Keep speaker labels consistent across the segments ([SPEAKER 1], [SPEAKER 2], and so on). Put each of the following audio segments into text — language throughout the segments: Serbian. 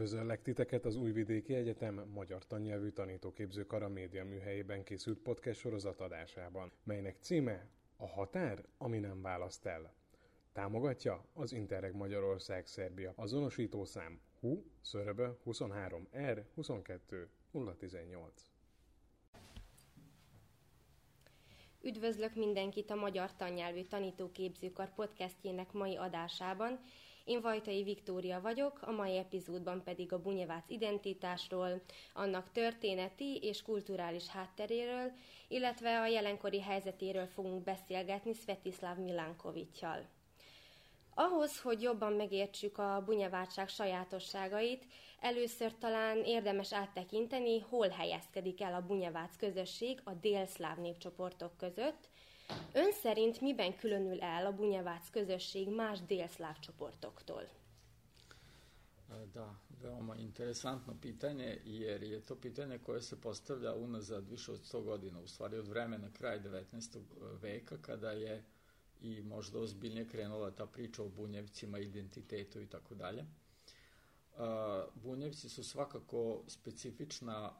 [SPEAKER 1] Üdvözöllek titeket az Újvidéki Egyetem magyar tannyelvű tanítóképző kara média műhelyében készült podcast sorozat adásában, melynek címe A határ, ami nem választ el. Támogatja az Interreg Magyarország Szerbia azonosítószám HU/23R 22 018.
[SPEAKER 2] Üdvözlök mindenkit a Magyar Tannyelvű Tanítóképzőkar podcastjének mai adásában. Én Vajtai Viktória vagyok, a mai epizódban pedig a bunyevác identitásról, annak történeti és kulturális hátteréről, illetve a jelenkori helyzetéről fogunk beszélgetni Svetislav Milankovićsal. Ahhoz, hogy jobban megértsük a bunyevátság sajátosságait, először talán érdemes áttekinteni, hol helyezkedik el a bunyevác közösség a délszláv népcsoportok között. Ön szerint miben különül el a bunyevác közösség más délszláv csoportoktól?
[SPEAKER 3] Da, veoma interesantno pitanje, jer je to pitanje koje se postavlja unazad više od 100 godina, u stvari od vremena kraja 19. veka, kada je i možda ozbiljnije krenula ta priča o bunjevcima, identitetu i tako dalje. Bunjevci su svakako specifična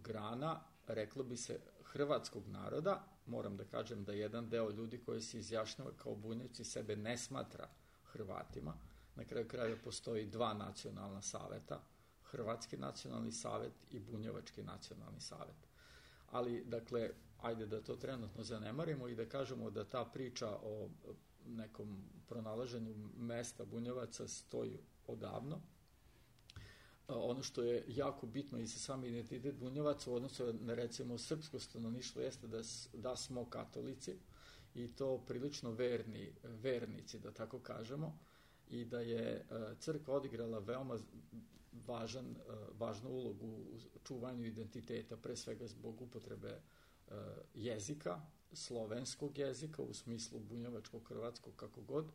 [SPEAKER 3] grana, reklo bi se, hrvatskog naroda. Moram da kažem da jedan deo ljudi koji se izjašnjava kao bunjevci sebe ne smatra Hrvatima. Na kraju krajeva postoji dva nacionalna saveta, Hrvatski nacionalni savet i Bunjevački nacionalni savet. Ali, dakle, ajde da to trenutno zanemarimo i da kažemo da ta priča o nekom pronalaženju mesta bunjevaca stoji odavno. Ono što je jako bitno i za sam identitet bunjevaca u odnosu na, recimo, srpsko stanovništvo jeste da smo katolici i to prilično vernici, da tako kažemo, i da je crkva odigrala veoma važnu ulogu u čuvanju identiteta, pre svega zbog upotrebe jezika, slovenskog jezika u smislu bunjevačkog, hrvatskog, kako god,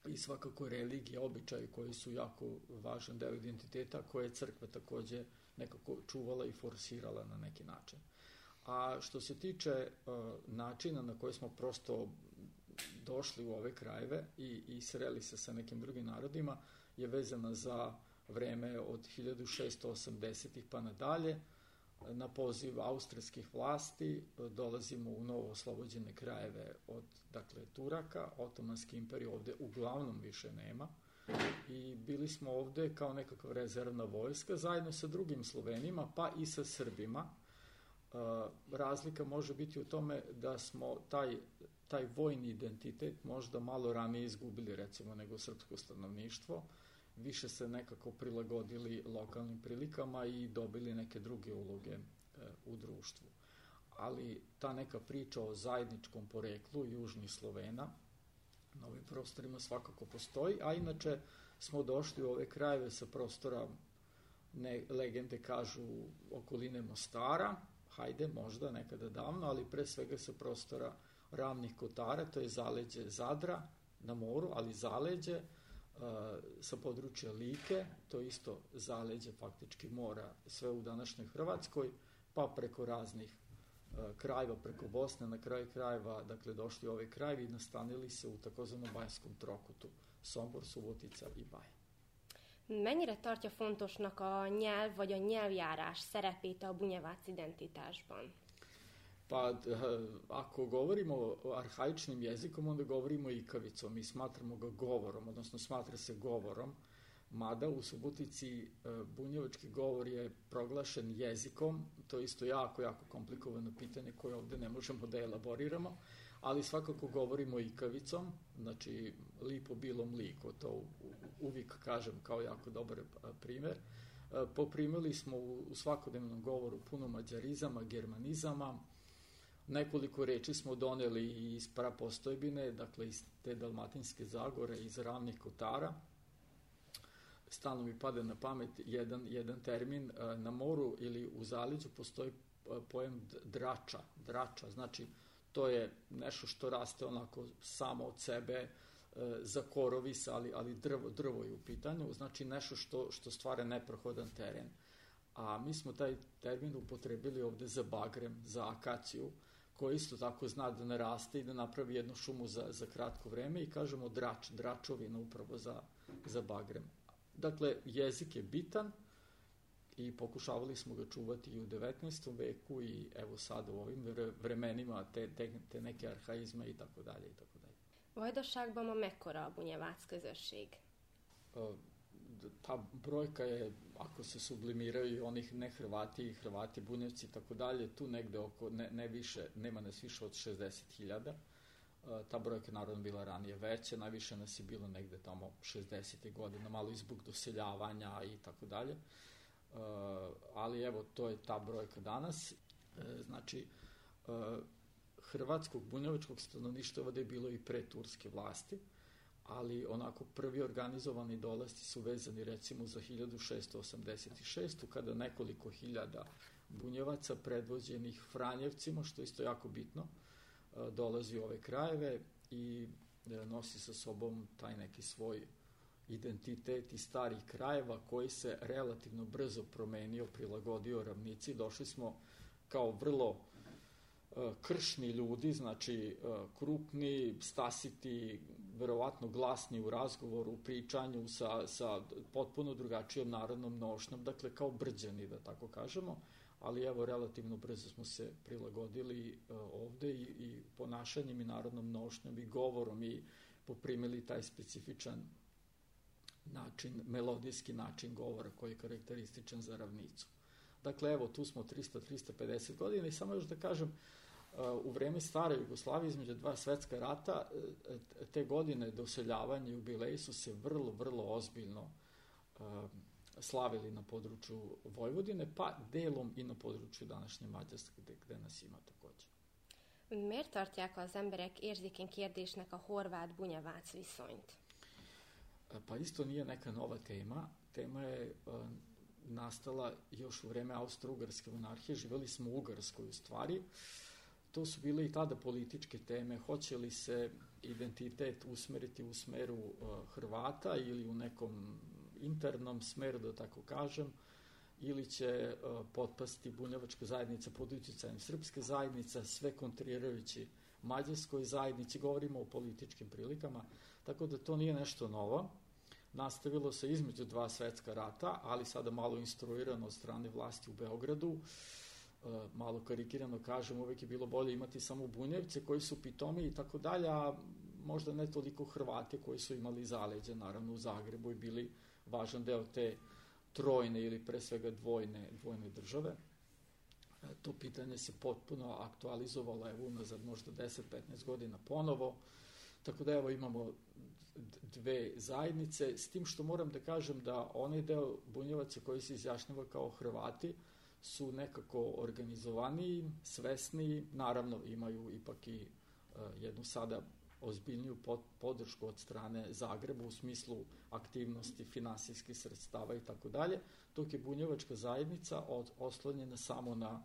[SPEAKER 3] i svakako religije, običaji koji su jako važan deo identiteta koje je crkva takođe nekako čuvala i forsirala na neki način. A što se tiče načina na koji smo prosto došli u ove krajeve i sreli se sa nekim drugim narodima, je vezana za vreme od 1680-ih pa nadalje. Na poziv austrijskih vlasti dolazimo u novo oslobođene krajeve od, dakle, Turaka. Otomanske imperije ovde uglavnom više nema i bili smo ovde kao nekakva rezervna vojska zajedno sa drugim Slovenima pa i sa Srbima. Razlika može biti u tome da smo taj vojni identitet možda malo ranije izgubili, recimo, nego srpsko stanovništvo, više se nekako prilagodili lokalnim prilikama i dobili neke druge uloge u društvu. Ali ta neka priča o zajedničkom poreklu južnih Slovena na ovim prostorima svakako postoji, a inače smo došli u ove krajeve sa prostora, legende kažu, okoline Mostara, hajde, možda nekada davno, ali pre svega sa prostora Ravnih Kotara, to je zaleđe Zadra na moru, ali zaleđe sa područja Like, to je isto zaleđe faktički mora, sve u današnjoj Hrvatskoj, pa preko raznih krajeva, preko Bosne, na kraju krajeva, dakle, došli u ove krajevi i nastanili se u takozvanom Bajskom trokutu, Sombor, Subotica i Baja.
[SPEAKER 2] Mennyire tartja fontosnak a nyelv vagy a nyelvjárás szerepét a bunyevác identitásban?
[SPEAKER 3] Pa, ako govorimo o arhaičnim jezikom, onda govorimo ikavicom i smatramo ga govorom, odnosno smatra se govorom, mada u Subotici bunjevački govor je proglašen jezikom, to je isto jako komplikovano pitanje koje ovde ne možemo da elaboriramo, ali svakako govorimo ikavicom, znači lipo bilo mliko, to uvijek kažem kao jako dobar primer. Poprimili smo u svakodnevnom govoru puno mađarizama, germanizama, nekoliko reči smo doneli iz prapostojbine, dakle iz te Dalmatinske Zagore, iz Ravnih Kotara. Stalno mi pada na pamet jedan termin. Na moru ili u zaleđu postoji pojam drača, znači to je nešto što raste onako samo od sebe, za korovis, ali drvo je u pitanju, znači nešto što stvara neprohodan teren. A mi smo taj termin upotrebili ovde za bagrem, za akaciju, koji isto tako zna da naraste i da napravi jednu šumu za kratko vreme i kažemo dračovina upravo za bagrem. Dakle, jezik je bitan i pokušavali smo ga čuvati i u 19. veku i evo sad u ovim vremenima te neke arhaizme i tako dalje i tako dalje.
[SPEAKER 2] Vajdaságban ma mekkora a bunyevac közösség?
[SPEAKER 3] Ta brojka je, ako se sublimiraju i onih ne Hrvati i Hrvati, Bunjevci i tako dalje, tu negde oko, ne više, nema nas više od 60.000. Ta brojka je naravno bila ranije veća, najviše nas je bilo negde tamo 60. godina, malo i zbog doseljavanja i tako dalje. Ali evo, to je ta brojka danas. Znači, hrvatskog bunjevačkog stanovništva ovde je bilo i pre turske vlasti, ali onako prvi organizovani dolasci su vezani recimo za 1686. kada nekoliko hiljada bunjevaca predvođenih Franjevcima, što je isto jako bitno, dolazi u ove krajeve i nosi sa sobom taj neki svoj identitet iz starih krajeva koji se relativno brzo promenio, prilagodio ravnici. Došli smo kao vrlo kršni ljudi, znači krupni, stasiti, verovatno glasni u razgovoru, u pričanju sa potpuno drugačijom narodnom nošnjom, dakle kao brđani, da tako kažemo, ali evo relativno brzo smo se prilagodili ovde i ponašanjem i narodnom nošnjom i govorom i poprimili taj specifičan način, melodijski način govora koji je karakterističan za ravnicu. Dakle, evo, tu smo 300-350 godina i samo još da kažem, u vreme stare Jugoslavije između dva svetska rata, te godine doseljavanja i jubileji su se vrlo, vrlo ozbiljno slavili na području Vojvodine, pa delom i na području današnje Mađarske, gde nas ima takođe.
[SPEAKER 2] Miért tartják az emberek érzékeny kérdésnek a horvát-bunyevác viszonyt?
[SPEAKER 3] Pa isto nije neka nova tema. Tema je nastala još u vreme Austro-Ugarske monarhije. Živeli smo u Ugarskoj u stvari. To su bile i tada političke teme. Hoće li se identitet usmeriti u smeru Hrvata ili u nekom internom smeru, da tako kažem, ili će potpasti bunjevačka zajednica pod uticajem srpske zajednice, sve kontrirajući mađarskoj zajednici, govorimo o političkim prilikama, tako da to nije nešto novo. Nastavilo se između dva svetska rata, ali sada malo instruirano od strane vlasti u Beogradu. Malo karikirano kažem, uvek je bilo bolje imati samo Bunjevce koji su pitomi i tako dalje, a možda ne toliko Hrvate koji su imali zaleđe, naravno u Zagrebu i bili važan deo te trojne ili pre svega dvojne države. To pitanje se potpuno aktualizovalo evo unazad možda 10-15 godina ponovo, tako da evo imamo dve zajednice, s tim što moram da kažem da onaj deo Bunjevaca koji se izjašnjava kao Hrvati su nekako organizovaniji, svesniji, naravno imaju ipak i jednu sada ozbiljniju podršku od strane Zagreba u smislu aktivnosti, finansijskih sredstava i tako dalje, dok je bunjevačka zajednica oslonjena samo na,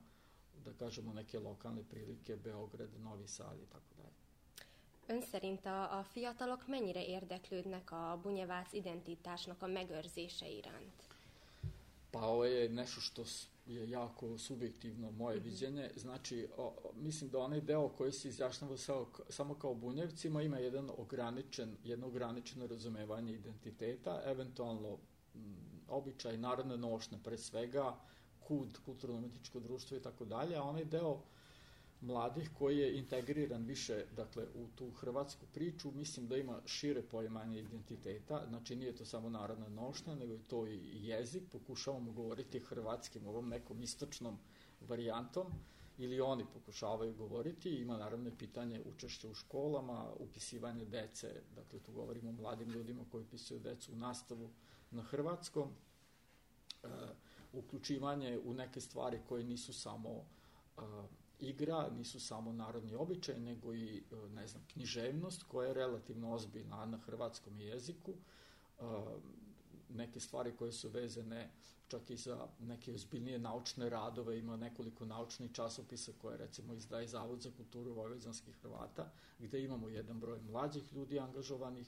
[SPEAKER 3] da kažemo, neke lokalne prilike, Beograd, Novi Sad i tako dalje.
[SPEAKER 2] Ön szerint a fiatalok mennyire érdeklődnek a bunyevác identitásnak a megőrzése iránt?
[SPEAKER 3] Pa ovo je nešto što je jako subjektivno moje viđenje. Znači, mislim da onaj deo koji se izjašnjava samo kao Bunjevcima ima jedno ograničeno razumevanje identiteta, eventualno običaj, narodna nošnja pre svega, KUD, kulturno-umetničko društvo i tako dalje, a onaj deo mladih koji je integriran više, dakle, u tu hrvatsku priču, mislim da ima šire poimanje identiteta, znači nije to samo narodna nošnja, nego je to i jezik, pokušavamo govoriti hrvatskim, ovom nekom istočnom varijantom, ili oni pokušavaju govoriti, ima naravno pitanje učešća u školama, upisivanje dece, dakle tu govorimo o mladim ljudima koji upisuju decu u nastavu na hrvatskom, uključivanje u neke stvari koje nisu samo igra, nisu samo narodni običaj, nego i, ne znam, književnost koja je relativno ozbiljna na hrvatskom jeziku, neke stvari koje su vezane čak i za neke ozbiljnije naučne radove, ima nekoliko naučnih časopisa koje recimo izdaje Zavod za kulturu vojvođanskih Hrvata, gde imamo jedan broj mlađih ljudi angažovanih.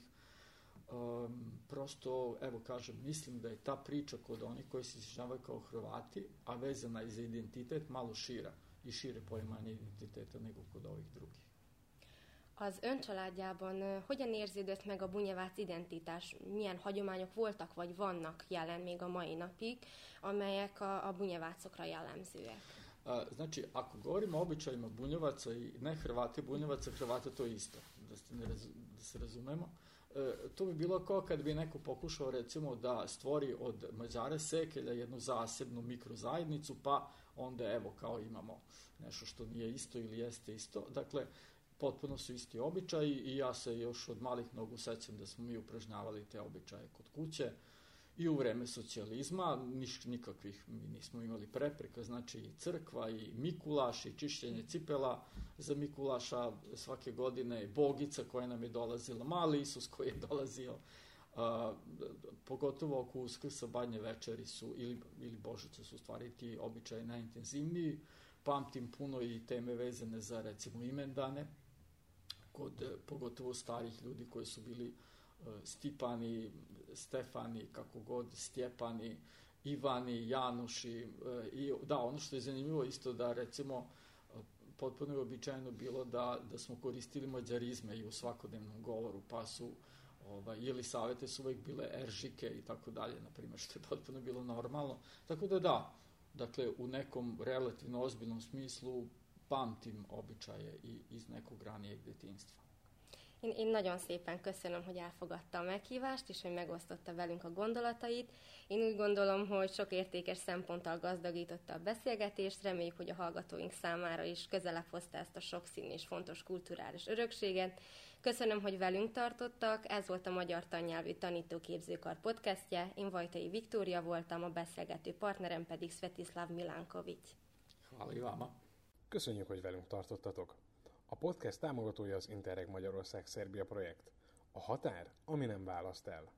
[SPEAKER 3] Prosto, evo kažem, mislim da je ta priča kod onih koji se izjašnjavaju kao Hrvati, a vezana i za identitet, malo šira i šire poimanje identiteta nego kod ovih drugih.
[SPEAKER 2] Az ön családjában hogyan érződött meg a Bunjevác identitás? Milyen hagyományok voltak vagy vannak jelen még a mai napig, amelyek a bunjevácokra jellemzőek?
[SPEAKER 3] Znači, ako govorimo o običajima Bunjevaca i ne Hrvati Bunjevaca, Hrvata to je isto, da se razumemo. To bi bilo kao kad bi neko pokušao recimo da stvori od Mađara Sekelja jednu zasebnu mikrozajednicu, pa onda evo kao imamo nešto što nije isto ili jeste isto. Dakle, potpuno su isti običaji i ja se još od malih nogu sećam da smo mi upražnjavali te običaje kod kuće i u vreme socijalizma, nikakvih mi nismo imali prepreka, znači i crkva i Mikulaš i čišćenje cipela za Mikulaša svake godine, Bogica koja nam je dolazila, mali Isus koji je dolazio, pogotovo oko Uskrsa, Badnje večeri su, ili Božica su u stvari ti običaji najintenzivniji. Pamtim puno i teme vezane za recimo imendane, kod pogotovo starih ljudi koji su bili Stipani, Stefani, kako god, Stjepani, Ivani, Januši. I da, ono što je zanimljivo isto da recimo potpuno je običajno bilo da smo koristili mađarizme i u svakodnevnom govoru, pa su Jelisavete su uvek bile Eržike i tako dalje, na primjer, što je potpuno bilo normalno. Tako da, dakle, u nekom relativno ozbiljnom smislu pamtim običaje i iz nekog ranijeg detinjstva.
[SPEAKER 2] Én nagyon szépen köszönöm, hogy elfogadta a meghívást, és hogy megosztotta velünk a gondolatait. Én úgy gondolom, hogy sok értékes szemponttal gazdagította a beszélgetést, reméljük, hogy a hallgatóink számára is közelebb hozta ezt a sokszínű és fontos kulturális örökséget. Köszönöm, hogy velünk tartottak, ez volt a Magyar Tannyelvű Tanítóképzőkar podcastje, én Vajtai Viktória voltam, a beszélgető partnerem pedig Svetislav Milánkovics.
[SPEAKER 3] Hvala i vama.
[SPEAKER 1] Köszönjük, hogy velünk tartottatok! A podcast támogatója az Interreg Magyarország-Szerbia projekt. A határ, ami nem választ el.